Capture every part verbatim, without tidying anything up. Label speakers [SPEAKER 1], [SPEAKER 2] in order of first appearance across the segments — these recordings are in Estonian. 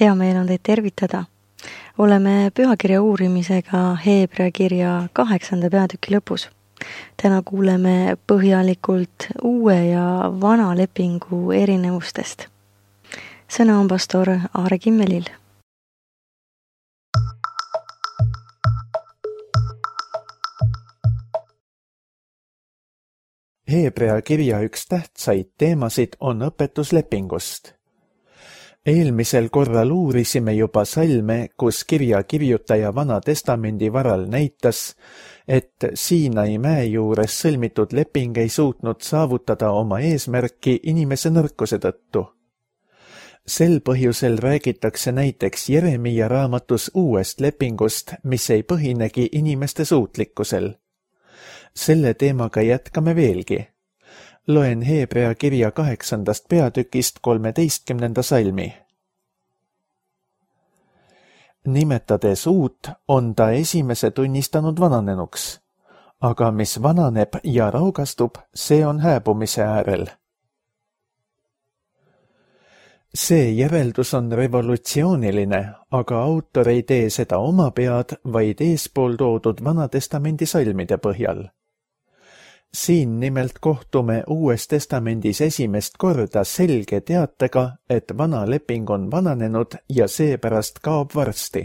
[SPEAKER 1] hea meel on teid tervitada. Oleme pühakirja uurimisega Heebrea kirja kaheksanda peatüki lõpus. Täna kuuleme põhjalikult uue ja vana lepingu erinevustest. Sõna on pastor Aare Kimmelil.
[SPEAKER 2] Heebrea kirja üks tähtsaid teemasid on õpetuslepingust. Eelmisel korral uurisime juba salme, kus kirja kirjutaja Vana Testamendi varal näitas, et Siinai mäe juures sõlmitud leping ei suutnud saavutada oma eesmärki inimese nõrkuse tõttu. Sel põhjusel räägitakse näiteks Jeremiia raamatus uuest lepingust, mis ei põhinegi inimeste suutlikkusel. Selle teemaga jätkame veelgi. Loen Heebrea kirja kaheksandast peatükist kolmeteistkümnenda salmi. Nimetades uut, on ta esimese tunnistanud vananenuks, aga mis vananeb ja raugastub, see on hääbumise äärel. See järeldus on revolutsiooniline, aga autor ei tee seda oma pead, vaid eespool toodud Vana Testamendi salmide põhjal. Siin nimelt kohtume Uues Testamendis esimest korda selge teatega, et vana leping on vananenud ja seepärast kaob varsti.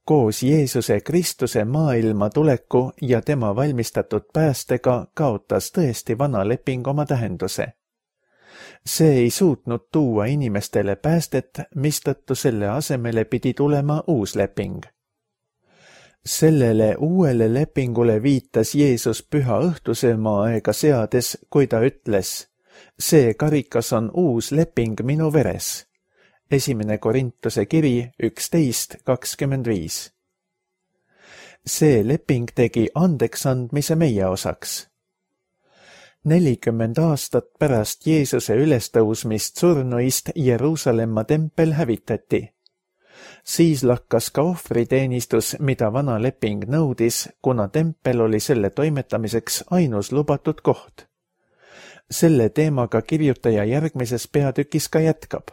[SPEAKER 2] Koos Jeesuse Kristuse maailma tuleku ja tema valmistatud päästega kaotas tõesti vana leping oma tähenduse. See ei suutnud tuua inimestele päästet, mistõttu selle asemele pidi tulema uus leping. Sellele uuele lepingule viitas Jeesus püha õhtusööma aega seades, kui ta ütles, see karikas on uus leping minu veres. Esimene Korintuse kiri üksteist kakskümmend viis. See leping tegi andeks andmise meie osaks. nelikümmend aastat pärast Jeesuse ülestõusmist surnuist Jeruusalemma tempel hävitati. Siis lakkas ka ohvriteenistus, mida vana leping nõudis, kuna tempel oli selle toimetamiseks ainus lubatud koht. Selle teemaga kirjutaja järgmises peatükis ka jätkab.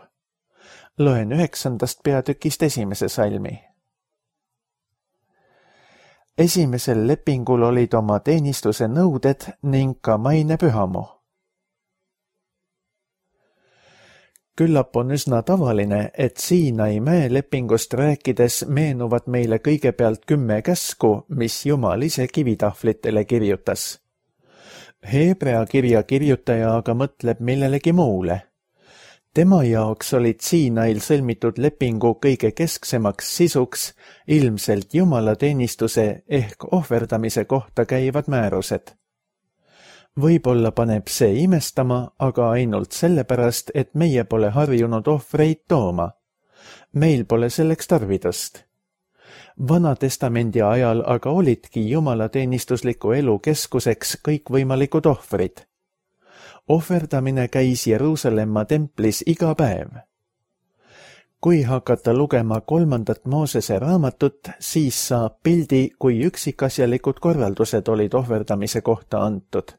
[SPEAKER 2] Loen üheksandast peatükist esimese salmi. Esimesel lepingul olid oma teenistuse nõuded ning ka maine pühamu. Küllap on üsna tavaline, et Siinai mäe lepingust rääkides meenuvad meile kõigepealt kümme käsku, mis Jumal ise kivitahvlitele kirjutas. Heebrea kirja kirjutaja aga mõtleb millelegi muule. Tema jaoks olid Siinail sõlmitud lepingu kõige kesksemaks sisuks ilmselt jumalateenistuse ehk ohverdamise kohta käivad määrused. Võib-olla paneb see imestama, aga ainult sellepärast, et meie pole harjunud ohvreid tooma. Meil pole selleks tarvidust. Vana Testamendi ajal aga olidki jumalateenistusliku elu keskuseks kõikvõimalikud ohvrid. Ohverdamine käis Jeruusalemma templis iga päev. Kui hakata lugema kolmandat Moosese raamatut, siis saab pildi, kui üksikasjalikud korraldused olid ohverdamise kohta antud.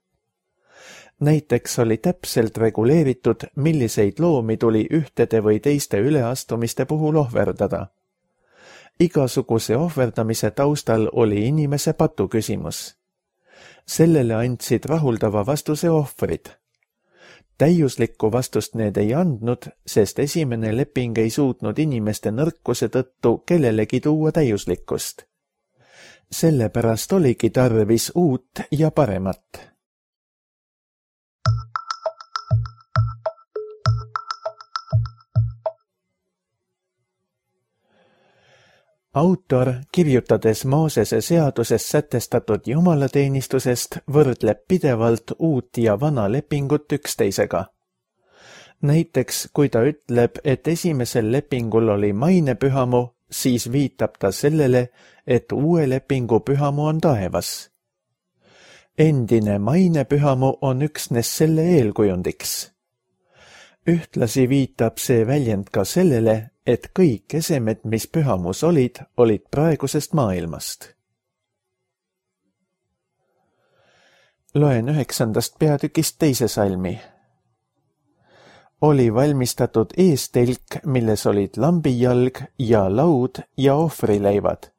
[SPEAKER 2] Näiteks oli täpselt reguleeritud, milliseid loomi tuli ühtede või teiste üleastumiste puhul ohverdada. Igasuguse ohverdamise taustal oli inimese patu küsimus. Sellele andsid rahuldava vastuse ohvrid. Täiuslikku vastust need ei andnud, sest esimene leping ei suutnud inimeste nõrkuse tõttu kellelegi tuua täiuslikkust. Sellepärast oligi tarvis uut ja paremat. Autor, kirjutades Moosese seaduses sätestatud jumalateenistusest, võrdleb pidevalt uut ja vana lepingut üksteisega. Näiteks, kui ta ütleb, et esimesel lepingul oli maine pühamu, siis viitab ta sellele, et uue lepingu pühamu on taevas. Endine maine pühamu on üksnes selle eelkujundiks. Ühtlasi viitab see väljend ka sellele, et kõik esemed, mis pühamus olid, olid praegusest maailmast. Loen üheksandast peatükist teise salmi. oli valmistatud eestelk, milles olid lambijalg ja laud ja ohvrileivad.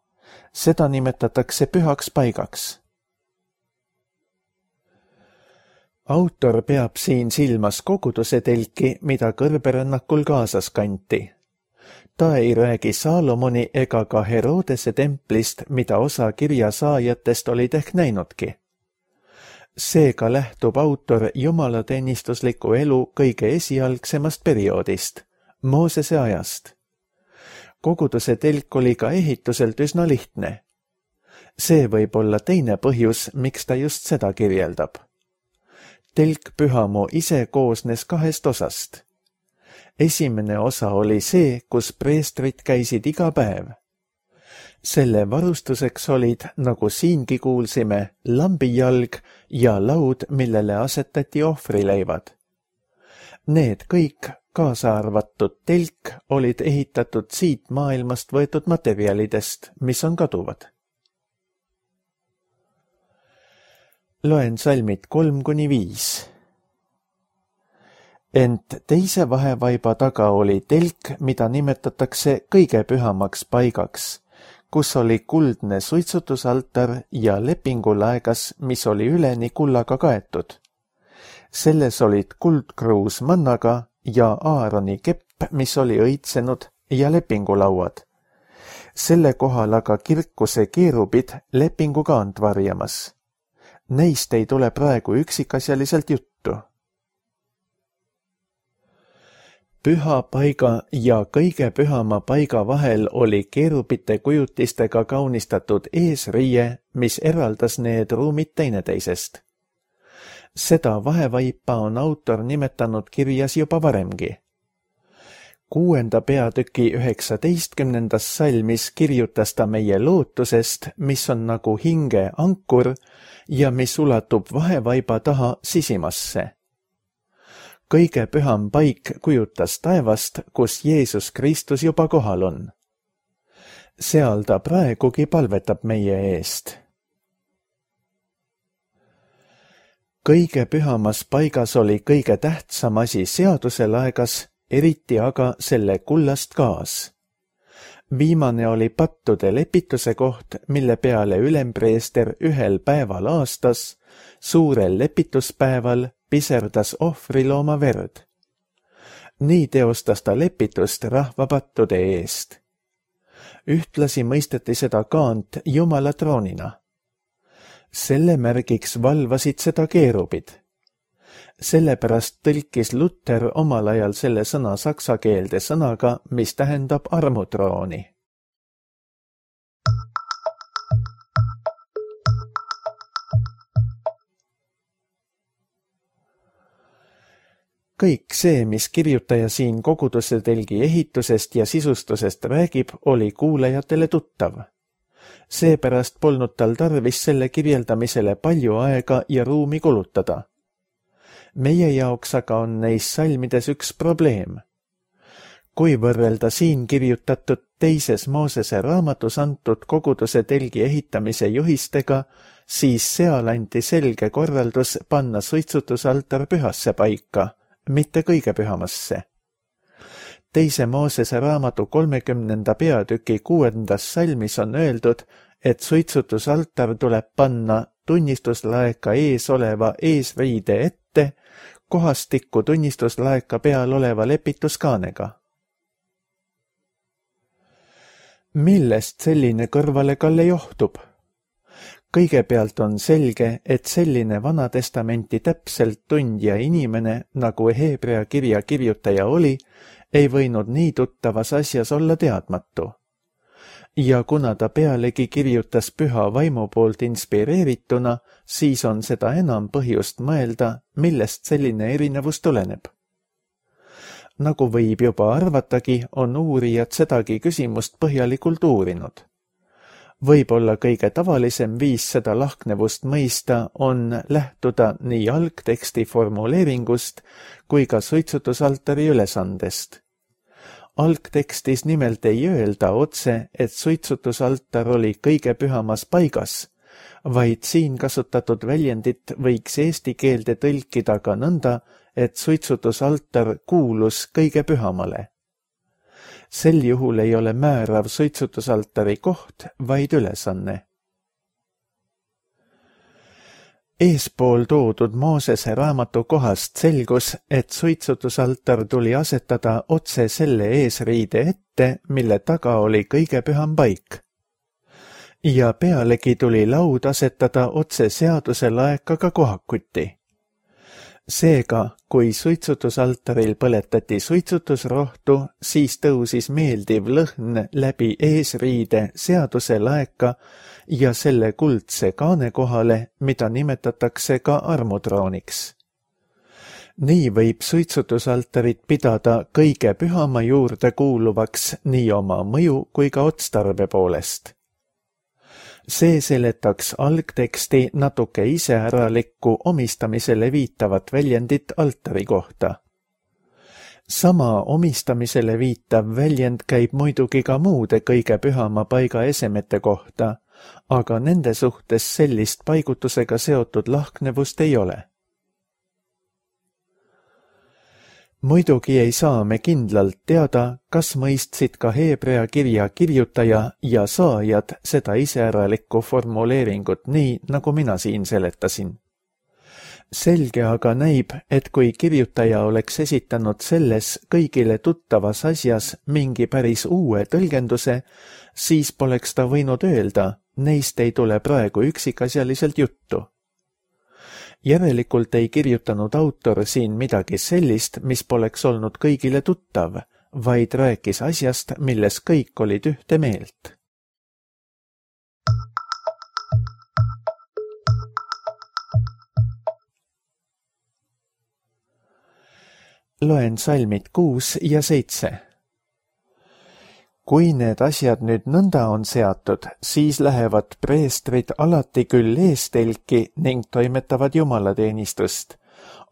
[SPEAKER 2] Seda nimetatakse pühaks paigaks. Autor peab siin silmas koguduse telki, mida kõrberännakul kaasas kanti. Ta ei räägi Saalomoni ega ka Herodese templist, mida osa kirja saajatest olid ehk näinudki. Seega lähtub autor jumalateenistusliku elu kõige esialgsemast perioodist, Moosese ajast. Koguduse telk oli ka ehituselt üsna lihtne. See võib olla teine põhjus, miks ta just seda kirjeldab. Telk Pühamu ise koosnes kahest osast. Esimene osa oli see, kus preestrid käisid iga päev. Selle varustuseks olid, nagu siingi kuulsime, lambijalg ja laud, millele asetati ohvrileivad. Need kõik, kaasa arvatud telk, olid ehitatud siit maailmast võetud materjalidest, mis on kaduvad. Loen salmid kolm kuni viis. Ent teise vahevaiba taga oli telk, mida nimetatakse kõige pühamaks paigaks, kus oli kuldne suitsutusaltar ja lepingulaegas, mis oli üleni kullaga kaetud. Selles olid kuldkruus mannaga ja Aaroni kepp, mis oli õitsenud, ja lepingulauad. Selle kohal aga kirkuse keerubid lepingukaant varjamas. Neist ei tule praegu üksikasjaliselt juttu. Püha paiga ja kõige pühama paiga vahel oli keerubite kujutistega kaunistatud eesriie, mis eraldas need ruumid teineteisest. Seda vahevaipa on autor nimetanud kirjas juba varemgi. Kuuenda peatüki üheksateistkümnendas salmis kirjutas ta meie lootusest, mis on nagu hinge ankur ja mis ulatub vahevaiba taha sisimasse. Kõige püham paik kujutas taevast, kus Jeesus Kristus juba kohal on. Seal ta praegugi palvetab meie eest. Kõige pühamas paigas oli kõige tähtsam asi seaduselaegas, eriti aga selle kullast kaas. Viimane oli pattude lepituse koht, mille peale ülempreester ühel päeval aastas, suurel lepituspäeval, piserdas ohvrilooma verd. Nii teostas ta lepitust rahva pattude eest. Ühtlasi mõisteti seda kaant Jumala troonina. Selle märgiks valvasid seda keerubid. Sellepärast tõlkis Luther omal ajal selle sõna saksa keelde sõnaga, mis tähendab armutrooni. Kõik see, mis kirjutaja siin koguduse telgi ehitusest ja sisustusest räägib, oli kuulajatele tuttav. Seepärast polnud tal tarvis selle kirjeldamisele palju aega ja ruumi kulutada. Meie jaoks aga on neis salmides üks probleem. Kui võrrelda siin kirjutatud teises Moosese raamatus antud koguduse telgi ehitamise juhistega, siis seal anti selge korraldus panna suitsutusaltar pühasse paika, mitte kõige pühamasse. Teise Moosese raamatu kolmekümnenda peatüki kuuendas salmis on öeldud, et suitsutusaltar tuleb panna tunnistuslaeka ees oleva eesriide ette, kohastikku tunnistuslaeka peal oleva lepituskaanega. Millest selline kõrvalekalle johtub? Kõigepealt on selge, et selline Vanatestamenti täpselt tundja inimene, nagu Heebrea kirja kirjutaja oli, ei võinud nii tuttavas asjas olla teadmatu. Ja kuna ta pealegi kirjutas püha vaimu poolt inspireerituna, siis on seda enam põhjust mõelda, millest selline erinevus tuleneb. Nagu võib juba arvatagi, on uurijad sedagi küsimust põhjalikult uurinud. Võib-olla kõige tavalisem viis seda lahknevust mõista on lähtuda nii algteksti formuleeringust kui ka suitsutusaltari ülesandest. Algtekstis nimelt ei öelda otse, et suitsutusaltar oli kõige pühamas paigas, vaid siin kasutatud väljendit võiks eesti keelde tõlkida ka nõnda, et suitsutusaltar kuulus kõige pühamale. Sel juhul ei ole määrav suitsutusaltari koht, vaid ülesanne. Eespool toodud Moosese raamatu kohast selgus, et suitsutusaltar tuli asetada otse selle eesriide ette, mille taga oli kõige püham paik. Ja pealegi tuli laud asetada otse seaduse laekaga kohakuti. Seega, kui suitsutusaltaril põletati suitsutusrohtu, siis tõusis meeldiv lõhn läbi eesriide seaduse laeka ja selle kuldse kaane kohale, mida nimetatakse ka armutrooniks. Nii võib suitsutusaltarit pidada kõige pühama juurde kuuluvaks nii oma mõju kui ka otstarbe poolest. See seletaks algteksti natuke iseäralikku omistamisele viitavat väljendit altari kohta. Sama omistamisele viitav väljend käib muidugi ka muude kõige pühama paiga esemete kohta, aga nende suhtes sellist paigutusega seotud lahknevust ei ole. Muidugi ei saa me kindlalt teada, kas mõistsid ka heebrea kirja kirjutaja ja saajad seda iseäralikku formuleeringut nii, nagu mina siin seletasin. Selge aga näib, et kui kirjutaja oleks esitanud selles kõigile tuttavas asjas mingi päris uue tõlgenduse, siis poleks ta võinud öelda, neist ei tule praegu üksikasjaliselt juttu. Järelikult ei kirjutanud autor siin midagi sellist, mis poleks olnud kõigile tuttav, vaid rääkis asjast, milles kõik olid ühte meelt. Loen salmid kuus ja seitse. Kui need asjad nüüd nõnda on seatud, siis lähevad preestrid alati küll eestelki ning toimetavad jumalateenistust,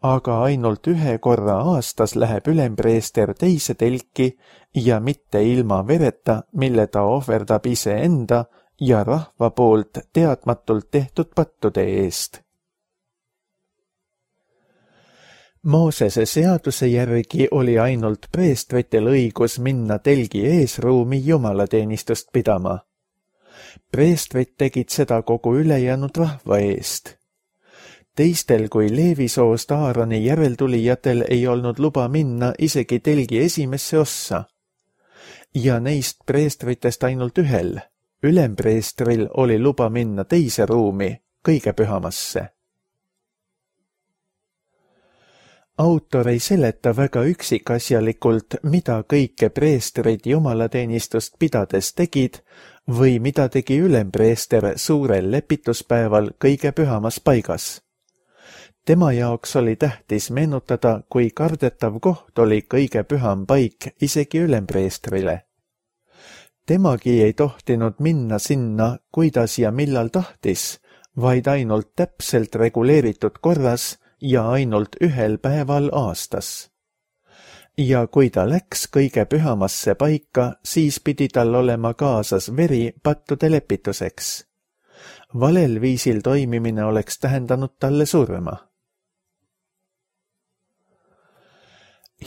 [SPEAKER 2] aga ainult ühe korra aastas läheb ülempreester teise telki ja mitte ilma vereta, mille ta ohverdab iseenda ja rahva poolt teadmatult tehtud pattude eest. Moosese seaduse järgi oli ainult preestritel õigus minna telgi eesruumi jumalateenistust pidama. Preestrid tegid seda kogu ülejäänud rahva eest. Teistel kui Leevisoost Aaroni järeltulijatel ei olnud luba minna isegi telgi esimesse ossa. Ja neist preestritest ainult ühel, ülempreestril oli luba minna teise ruumi, kõige pühamasse. Autor ei seleta väga üksikasjalikult, mida kõike preestrid jumalateenistust pidades tegid või mida tegi ülempreester suurel lepituspäeval kõige pühamas paigas. Tema jaoks oli tähtis meenutada, kui kardetav koht oli kõige püham paik isegi ülempreestrile. Temagi ei tohtinud minna sinna, kuidas ja millal tahtis, vaid ainult täpselt reguleeritud korras ja ainult ühel päeval aastas. Ja kui ta läks kõige pühamasse paika, siis pidi tal olema kaasas veri pattude lepituseks. Valel viisil toimimine oleks tähendanud talle surma.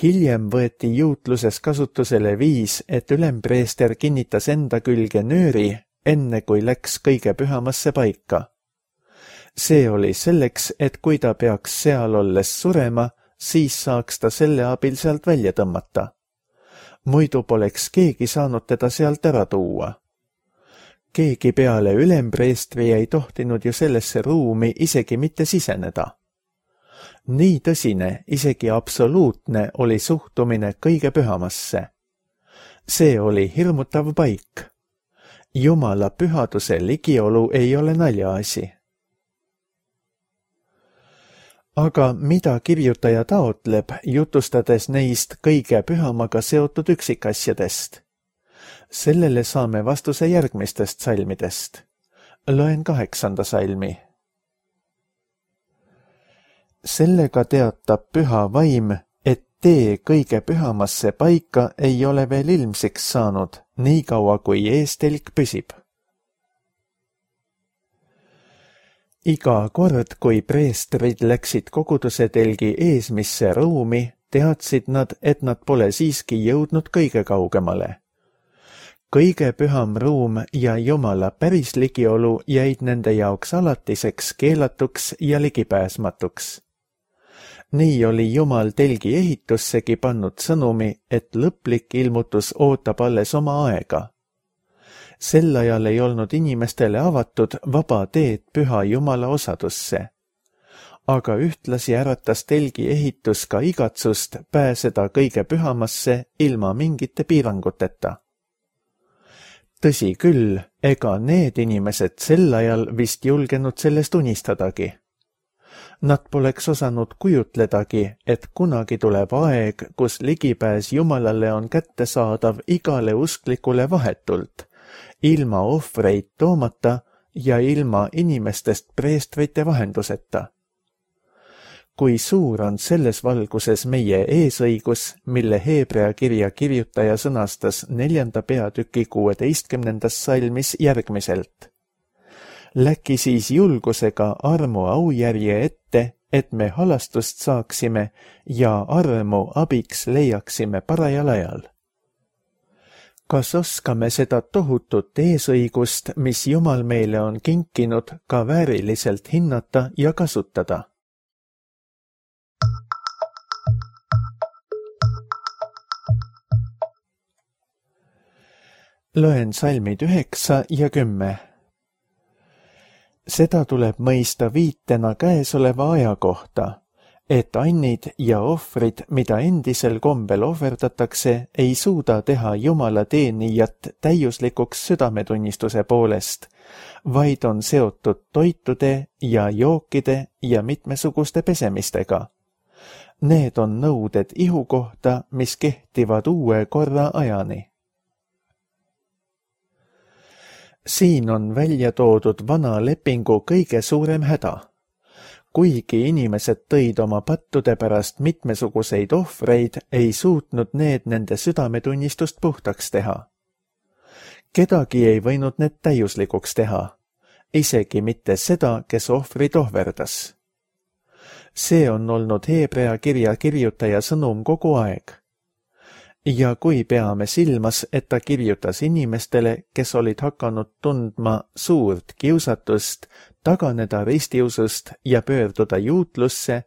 [SPEAKER 2] Hiljem võeti juutluses kasutusele viis, et ülempreester kinnitas enda külge nööri, enne kui läks kõige pühamasse paika. See oli selleks, et kui ta peaks seal olles surema, siis saaks ta selle abil sealt välja tõmmata. Muidu poleks keegi saanud teda sealt ära tuua. Keegi peale ülempreestri ei tohtinud ju sellesse ruumi isegi mitte siseneda. Nii tõsine, isegi absoluutne oli suhtumine kõige pühamasse. See oli hirmutav paik. Jumala pühaduse ligiolu ei ole naljaasi. Aga mida kirjutaja taotleb, jutustades neist kõige pühamaga seotud üksikasjadest? Sellele saame vastuse järgmistest salmidest. Loen kaheksanda salmi. Sellega teatab püha vaim, et tee kõige pühamasse paika ei ole veel ilmsiks saanud, nii kaua kui eestelk püsib. iga kord, kui preestrid läksid koguduse telgi eesmisse ruumi, teadsid nad, et nad pole siiski jõudnud kõige kaugemale. Kõige püham ruum ja Jumala päris ligiolu jäid nende jaoks alatiseks keelatuks ja ligipääsmatuks. Nii oli Jumal telgi ehitussegi pannud sõnumi, et lõplik ilmutus ootab alles oma aega. Sel ajal ei olnud inimestele avatud vaba teed püha Jumala osadusse. Aga ühtlasi äratas telgi ehitus ka igatsust pääseda kõige pühamasse ilma mingite piiranguteta. Tõsi küll, ega need inimesed sel ajal vist julgenud sellest unistadagi. Nad poleks osanud kujutledagi, et kunagi tuleb aeg, kus ligipääs Jumalale on kättesaadav igale usklikule vahetult, ilma ohvreid toomata ja ilma inimestest preestrite vahenduseta. Kui suur on selles valguses meie eesõigus, mille Heebrea kirja kirjutaja sõnastas neljanda peatüki kuueteistkümnendas salmis järgmiselt. Läki siis julgusega armu aujärje ette, et me halastust saaksime ja armu abiks leiaksime parajal ajal. Kas oskame seda tohutut eesõigust, mis Jumal meile on kinkinud, ka vääriliselt hinnata ja kasutada? Loen salmid üheksa ja kümme. Seda tuleb mõista viitena käesoleva aja kohta, et annid ja ohvrid, mida endisel kombel ohverdatakse, ei suuda teha Jumala teenijat täiuslikuks südametunnistuse poolest, vaid on seotud toitude ja jookide ja mitmesuguste pesemistega. Need on nõuded ihu kohta, mis kehtivad uue korra ajani. Siin on välja toodud vana lepingu kõige suurem häda. Kuigi inimesed tõid oma pattude pärast mitmesuguseid ohvreid, ei suutnud need nende südametunnistust puhtaks teha. Kedagi ei võinud need täiuslikuks teha, isegi mitte seda, kes ohvrid ohverdas. See on olnud Heebrea kirja kirjutaja sõnum kogu aeg. Ja kui peame silmas, et ta kirjutas inimestele, kes olid hakanud tundma suurt kiusatust, taganeda ristiusust ja pöörduda juutlusse,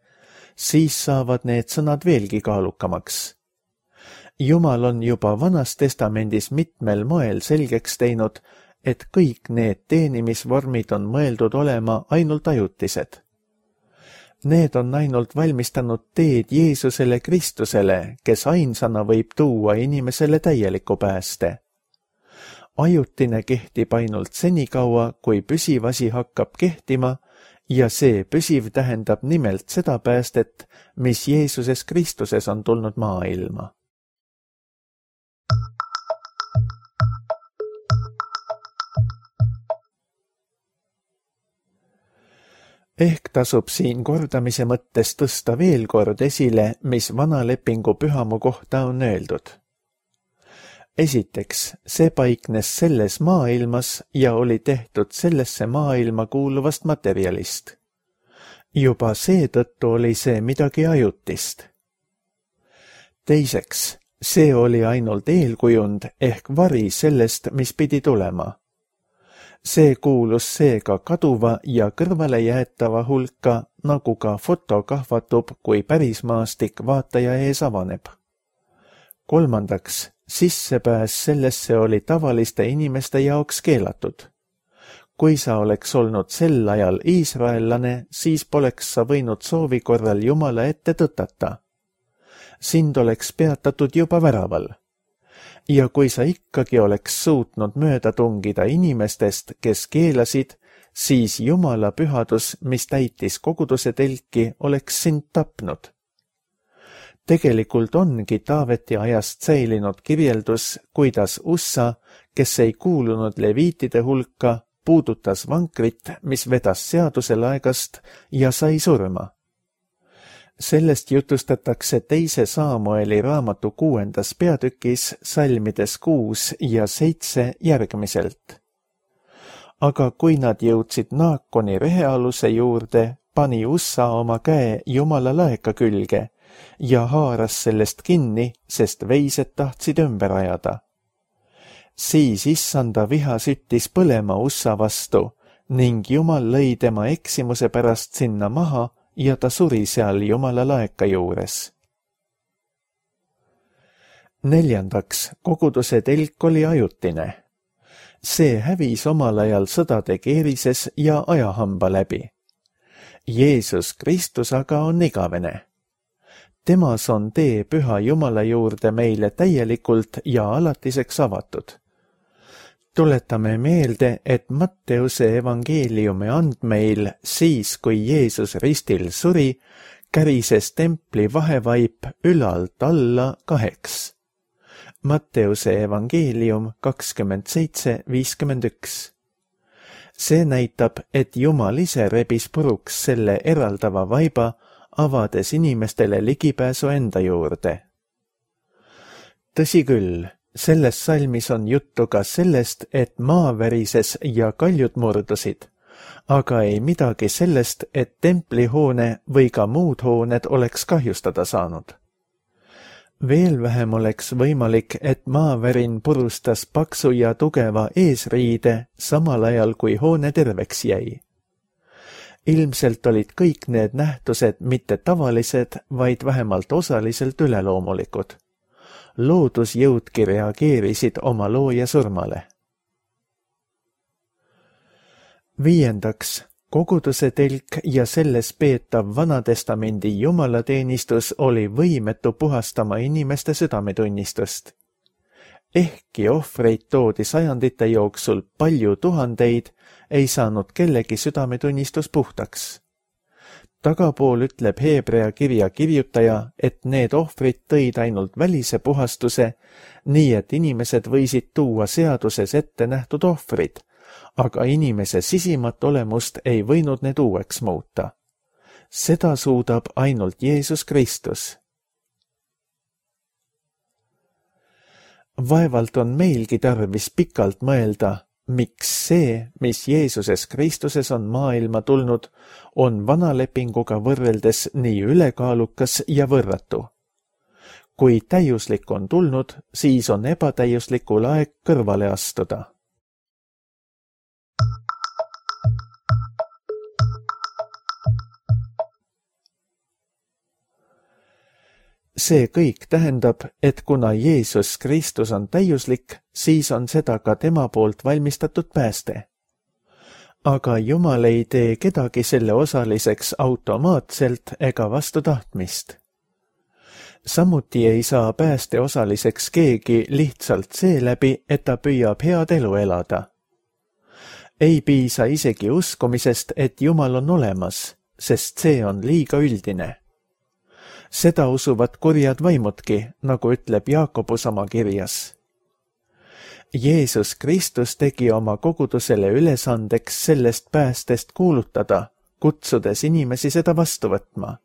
[SPEAKER 2] siis saavad need sõnad veelgi kaalukamaks. Jumal on juba Vanas Testamendis mitmel moel selgeks teinud, et kõik need teenimisvormid on mõeldud olema ainult ajutised. Need on ainult valmistanud teed Jeesusele Kristusele, kes ainsana võib tuua inimesele täieliku pääste. Ajutine kehtib ainult senikaua, kui püsiv asi hakkab kehtima, ja see püsiv tähendab nimelt seda päästet, mis Jeesuses Kristuses on tulnud maailma. Ehk tasub siin kordamise mõttes tõsta veel kord esile, mis vana lepingu pühamu kohta on öeldud. Esiteks, see paiknes selles maailmas ja oli tehtud sellesse maailma kuuluvast materjalist. Juba seetõttu oli see midagi ajutist. Teiseks, see oli ainult eelkujund ehk vari sellest, mis pidi tulema. See kuulus seega kaduva ja kõrvale jäetava hulka, nagu ka foto kahvatub, kui pärismaastik vaataja ees avaneb. Kolmandaks, sissepääs sellesse oli tavaliste inimeste jaoks keelatud. Kui sa oleks olnud sel ajal iisraellane, siis poleks sa võinud soovi korral Jumala ette tõtata. Sind oleks peatatud juba väraval. Ja kui sa ikkagi oleks suutnud mööda tungida inimestest, kes keelasid, siis Jumala pühadus, mis täitis koguduse telki, oleks sind tapnud. Tegelikult ongi Taaveti ajast säilinud kirjeldus, kuidas Ussa, kes ei kuulunud leviitide hulka, puudutas vankrit, mis vedas seaduse laegast ja sai surma. Sellest jutustatakse teise Saamueli raamatu kuuendas peatükis salmides kuus ja seitse järgmiselt. aga kui nad jõudsid Naakoni rehealuse juurde, pani Ussa oma käe Jumala laeka külge ja haaras sellest kinni, sest veised tahtsid ümber ajada. Siis issanda viha süttis põlema Ussa vastu ning Jumal lõi tema eksimuse pärast sinna maha ja ta suri seal Jumala laeka juures. Neljandaks, koguduse telk oli ajutine. See hävis omal ajal sõdade keerises ja ajahamba läbi. Jeesus Kristus aga on igavene. Temas on tee püha Jumala juurde meile täielikult ja alatiseks avatud. Tuletame meelde, et Matteuse evangeeliumi andmeil siis, kui Jeesus ristil suri, kärises templi vahevaip ülalt alla kaheks. Matteuse evangeelium kakskümmend seitse viiskümmend üks. See näitab, et Jumal ise rebis puruks selle eraldava vaiba, avades inimestele ligipääsu enda juurde. Tõsi küll, selles salmis on juttu ka sellest, et maa värises ja kaljud murdusid, aga ei midagi sellest, et templihoone või ka muud hooned oleks kahjustada saanud. Veel vähem oleks võimalik, et maavärin purustas paksu ja tugeva eesriide samal ajal, kui hoone terveks jäi. Ilmselt olid kõik need nähtused mitte tavalised, vaid vähemalt osaliselt üleloomulikud. Loodusjõudki reageerisid oma looja surmale. Viiendaks, koguduse telk ja selles peetav Vanatestamendi jumalateenistus oli võimetu puhastama inimeste südametunnistust. Ehkki ohvreid toodi sajandite jooksul palju tuhandeid, ei saanud kellegi südametunnistus puhtaks. Tagapool ütleb Heebrea kirja kirjutaja, et need ohvrid tõid ainult välise puhastuse, nii et inimesed võisid tuua seaduses ette nähtud ohvrid, aga inimese sisimat olemust ei võinud need uueks muuta. Seda suudab ainult Jeesus Kristus. Vaevalt on meilgi tarvis pikalt mõelda, miks see, mis Jeesuses Kristuses on maailma tulnud, on vanalepinguga võrreldes nii ülekaalukas ja võrratu. Kui täiuslik on tulnud, siis on ebatäiuslikul aeg kõrvale astuda. See kõik tähendab, et kuna Jeesus Kristus on täiuslik, siis on seda ka tema poolt valmistatud pääste. Aga Jumal ei tee kedagi selle osaliseks automaatselt ega vastu tahtmist. Samuti ei saa pääste osaliseks keegi lihtsalt seeläbi, et ta püüab head elu elada. Ei piisa isegi uskumisest, et Jumal on olemas, sest see on liiga üldine. Seda usuvad kurjad vaimudki, nagu ütleb Jaakobus oma kirjas. Jeesus Kristus tegi oma kogudusele ülesandeks sellest päästest kuulutada, kutsudes inimesi seda vastu võtma.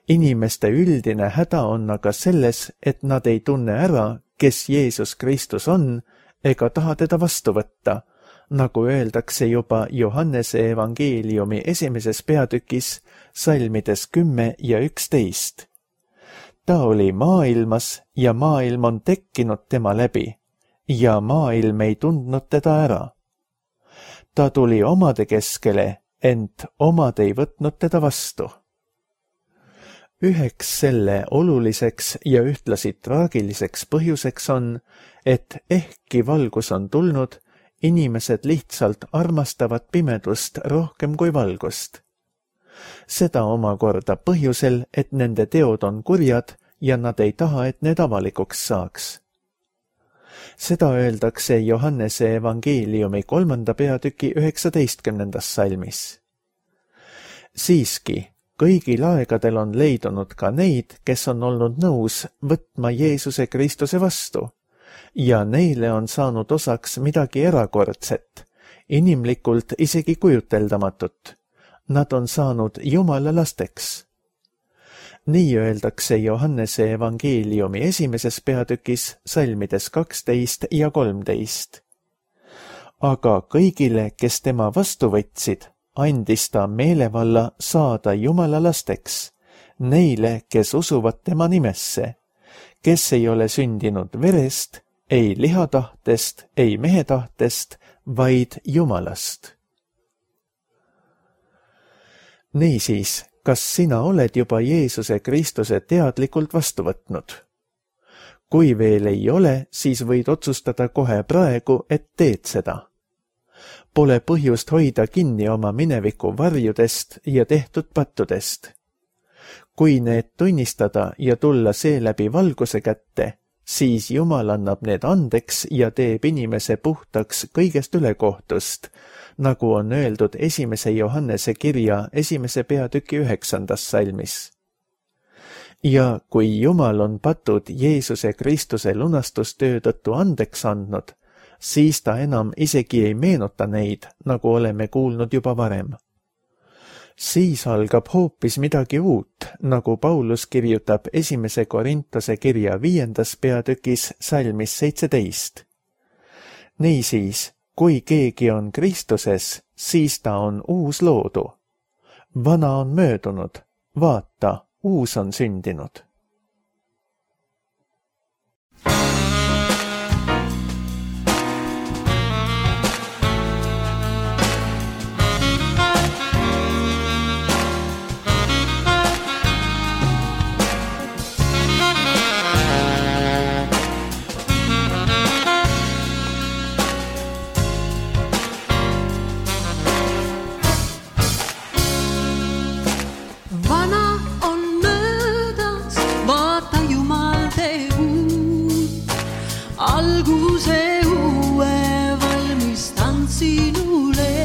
[SPEAKER 2] Inimeste üldine häda on aga selles, et nad ei tunne ära, kes Jeesus Kristus on, ega taha teda vastu võtta, nagu öeldakse juba Johannese evangeeliumi esimeses peatükis, salmides kümme ja üksteist. Ta oli maailmas ja maailm on tekkinud tema läbi ja maailm ei tundnud teda ära. Ta tuli omade keskele, ent omad ei võtnud teda vastu. Üheks selle oluliseks ja ühtlasi traagiliseks põhjuseks on, et ehkki valgus on tulnud, inimesed lihtsalt armastavad pimedust rohkem kui valgust. Seda omakorda põhjusel, et nende teod on kurjad ja nad ei taha, et need avalikuks saaks. Seda öeldakse Johannese evangeeliumi kolmanda peatüki üheksateistkümnendas salmis. Siiski, kõigil aegadel on leidunud ka neid, kes on olnud nõus võtma Jeesuse Kristuse vastu, ja neile on saanud osaks midagi erakordset, inimlikult isegi kujuteldamatut. Nad on saanud Jumala lasteks. Nii öeldakse Johannese evangeeliumi esimeses peatükis salmides kaksteist ja kolmteist. aga kõigile, kes tema vastu võtsid, andis ta meelevalla saada Jumala lasteks, neile, kes usuvad tema nimesse, kes ei ole sündinud verest, ei lihatahtest, ei mehetahtest, vaid Jumalast. Niisiis, kas sina oled juba Jeesuse Kristuse teadlikult vastu võtnud? Kui veel ei ole, siis võid otsustada kohe praegu, et teed seda. Pole põhjust hoida kinni oma mineviku varjudest ja tehtud pattudest. Kui need tunnistada ja tulla seeläbi valguse kätte, siis Jumal annab need andeks ja teeb inimese puhtaks kõigest ülekohtust, nagu on öeldud esimese Johannese kirja esimese peatüki üheksandas salmis. Ja kui Jumal on patud Jeesuse Kristuse lunastustöö tõttu andeks andnud, siis ta enam isegi ei meenuta neid, nagu oleme kuulnud juba varem. Siis algab hoopis midagi uut, nagu Paulus kirjutab esimese Korintuse kirja viiendas peatükis salmis seitseteist. Niisiis, kui keegi on Kristuses, siis ta on uus loodu. Vana on möödunud, vaata, uus on sündinud.
[SPEAKER 3] Alguse uue valmistan sinule.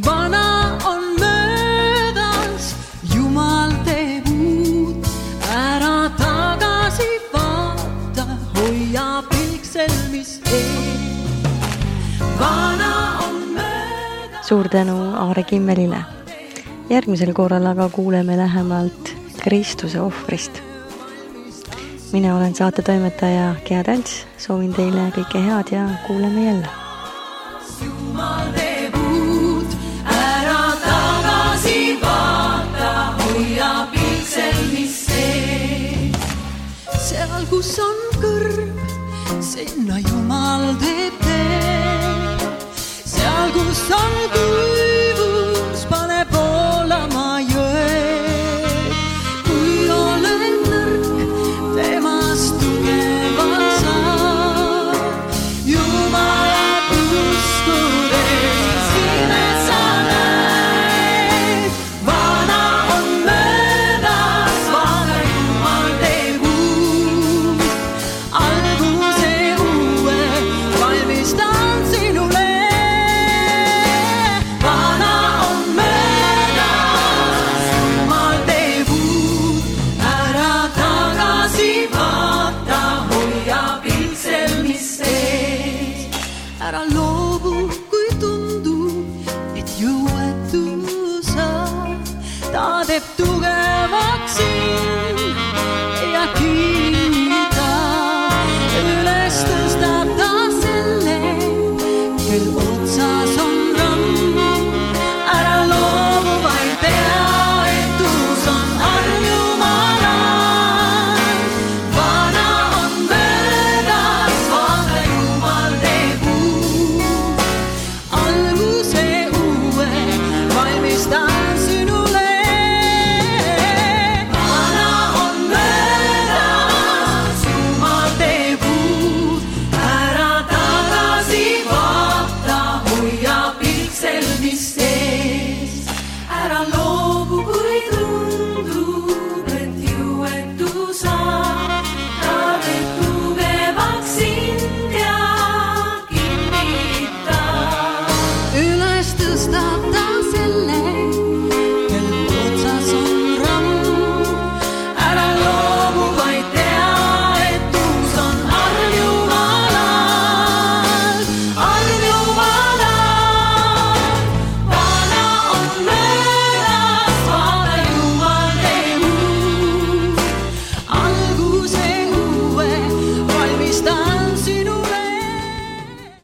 [SPEAKER 3] Vana on möödas, Jumal teeb uut. Ära tagasi vaata, hoia pilk selmis ees. Vana on möödas.
[SPEAKER 1] Suur tänu Aare Kimmelile. Järgmisel korral aga kuuleme lähemalt Kristuse ohvrist. Mina olen saate toimetaja Gea Tants, soovin teile kõike head ja kuuleme jälle.
[SPEAKER 3] Jumal teeb uut, ära tagasi vaata, hoia pilk selmis sees. Seal, kus on kõrv, sinna Jumal teeb tee. Seal, kus on kuivus, pane voolama jõe. Kui olen nõrk, temast tugeval saab. Jumala uskudes sinet sa näed. Vana on möödas, vaata Jumal teeb uut. Alguse uue valmistan sinule. Vana on möödas, Jumal teeb uut. Ära tagasi vaata, hoia pilk selmis sees. Ära loobu, kui tundub, et jõuetu sa. Ta teeb tugevaks sind ja kinnita. Üles tõstab ta selle, kel